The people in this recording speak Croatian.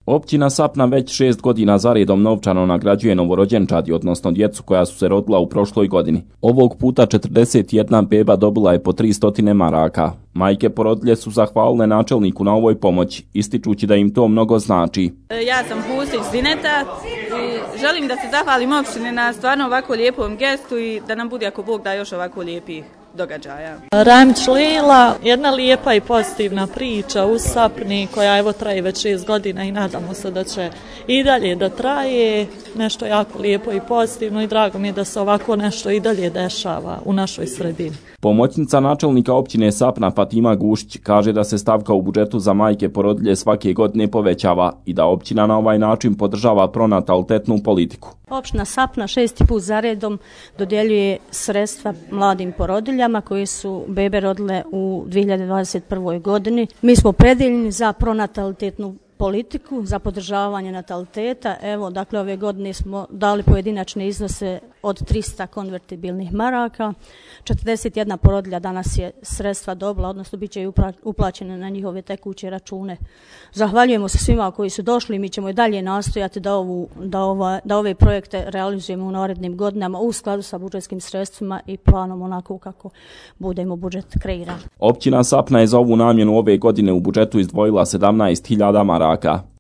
Općina Sapna već 6 godina zaredom novčano nagrađuje novorođenčadi, odnosno djecu koja su se rodila u prošloj godini. Ovog puta 41 beba dobila je po 300 maraka. Majke porodilje su zahvalile načelniku na ovoj pomoći, ističući da im to mnogo znači. Ja sam Hustić Zineta i želim da se zahvalim opštini na stvarno ovako lijepom gestu i da nam bude, ako Bog da, još ovako lijepih događaja. Ramić Lila, jedna lijepa i pozitivna priča u Sapni koja evo traje već 6 godina i nadamo se da će i dalje da traje. Nešto jako lijepo i pozitivno i drago mi je da se ovako nešto i dalje dešava u našoj sredini. Pomoćnica načelnika općine Sapna Fatima Gušić kaže da se stavka u budžetu za majke porodilje svake godine povećava i da općina na ovaj način podržava pronatalitetnu politiku. Opština Sapna 6. put zaredom dodjeljuje sredstva mladim porodiljama koje su bebe rodile u 2021. godini. Mi smo opredijeljeni za pronatalitetnu politiku, za podržavanje nataliteta. Evo, dakle, ove godine smo dali pojedinačne iznose od 300 konvertibilnih maraka. 41 porodilja danas je sredstva dobila, odnosno bit će i uplaćene na njihove tekuće račune. Zahvaljujemo se svima koji su došli i mi ćemo i dalje nastojati da ove projekte realizujemo u narednim godinama u skladu sa budžetskim sredstvima i planom onako kako budemo budžet kreirali. Općina Sapna je za ovu namjenu ove godine u budžetu izdvojila 17.000 maraka.